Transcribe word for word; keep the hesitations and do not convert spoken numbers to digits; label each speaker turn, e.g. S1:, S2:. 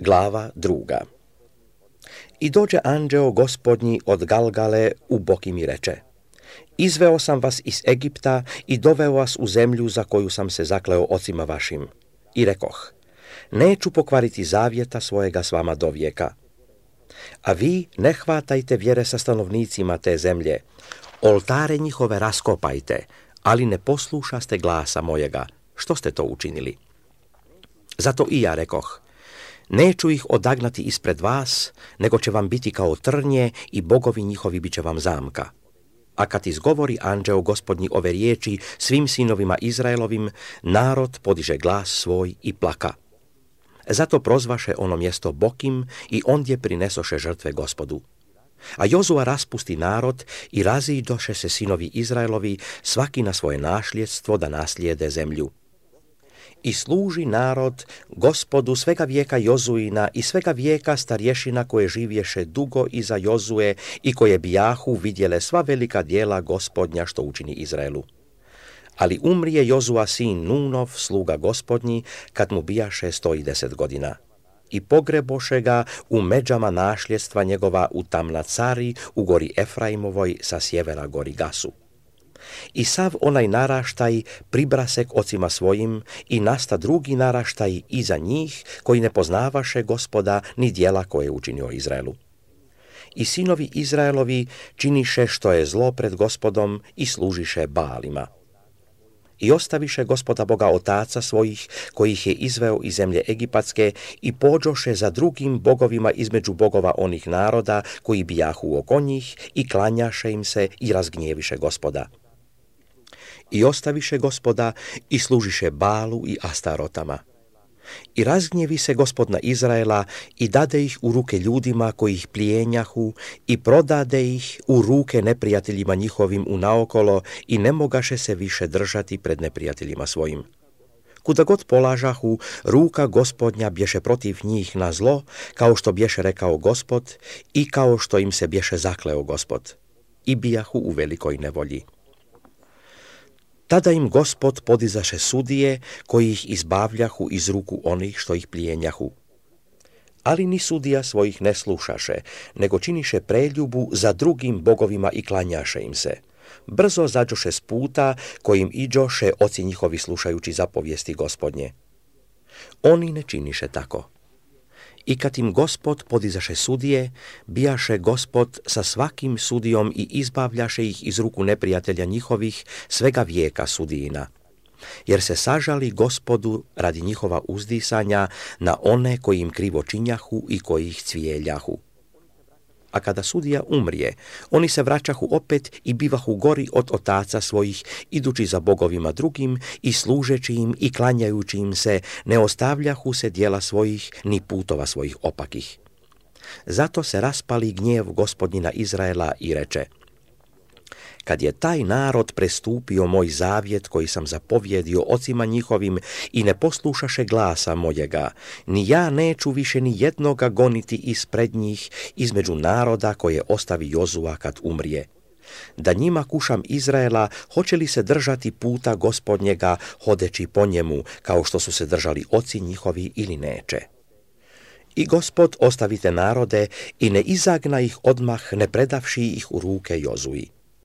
S1: Glava druga. I dođe anđeo gospodnji od Galgale u Boki mi reče: Izveo sam vas iz Egipta i doveo vas u zemlju za koju sam se zakleo ocima vašim. I rekoh: Neću pokvariti zavjeta svojega s vama do vijeka. A vi ne hvatajte vjere sa stanovnicima te zemlje, oltare njihove raskopajte, ali ne poslušaste glasa mojega. Što ste to učinili? Zato i ja rekoh: Neću ih odagnati ispred vas, nego će vam biti kao trnje i bogovi njihovi bit će vam zamka. A kad izgovori anđeo gospodnji ove riječi svim sinovima Izraelovim, narod podiže glas svoj i plaka. Zato prozvaše ono mjesto Bokim i ondje prinesoše žrtve Gospodu. A Jozua raspusti narod i raziđoše se sinovi Izraelovi, svaki na svoje našljedstvo da naslijede zemlju. I služi narod Gospodu svega vijeka Jozuina i svega vijeka starješina koje živješe dugo iza Jozue i koje bijahu vidjele sva velika djela Gospodnja što učini Izraelu. Ali umrije Jozua sin Nunov, sluga Gospodnji, kad mu bijaše sto i deset godina. I pogreboše ga u međama našljedstva njegova u Tamnacari, u gori Efraimovoj, sa sjevera gori Gasu. I sav onaj naraštaj pribrase k ocima svojim i nasta drugi naraštaj iza njih, koji ne poznavaše Gospoda ni djela koje je učinio Izraelu. I sinovi Izraelovi činiše što je zlo pred Gospodom i služiše Baalima. I ostaviše Gospoda Boga otaca svojih, koji ih je izveo iz zemlje Egipatske, i pođoše za drugim bogovima između bogova onih naroda koji bijahu oko njih, i klanjaše im se i razgnjeviše Gospoda. I ostaviše Gospoda i služiše Balu i Astarotama. I razgnjevi se Gospod na Izraela i dade ih u ruke ljudima koji ih plijenjahu i prodade ih u ruke neprijateljima njihovim unaokolo i ne mogaše se više držati pred neprijateljima svojim. Kuda god polažahu, ruka Gospodnja bješe protiv njih na zlo, kao što bješe rekao Gospod i kao što im se bješe zakleo Gospod. I bijahu u velikoj nevolji. Tada im Gospod podizaše sudije koji ih izbavljahu iz ruku onih što ih plijenjahu. Ali ni sudija svojih ne slušaše, nego činiše preljubu za drugim bogovima i klanjaše im se. Brzo zađoše s puta kojim iđoše oci njihovi slušajući zapovijesti Gospodnje. Oni ne činiše tako. I kad im Gospod podizaše sudije, bijaše Gospod sa svakim sudijom i izbavljaše ih iz ruku neprijatelja njihovih svega vijeka sudijina. Jer se sažali Gospodu radi njihova uzdisanja na one koji im krivo činjahu i koji ih cvijeljahu. A kada sudija umrije, oni se vraćahu opet i bivahu gori od otaca svojih, idući za bogovima drugim i služeći im i klanjajući im se, ne ostavljahu se djela svojih ni putova svojih opakih. Zato se raspali gnjev Gospodnji na Izraela i reče: Kad je taj narod prestupio moj zavjet koji sam zapovjedio ocima njihovim i ne poslušaše glasa mojega, ni ja neću više ni jednoga goniti ispred njih između naroda koje ostavi Jozua kad umrije. Da njima kušam Izraela, hoće li se držati puta Gospodnjega hodeći po njemu, kao što su se držali oci njihovi, ili neće. I Gospod ostavite narode i ne izagna ih odmah, ne predavši ih u ruke Jozui.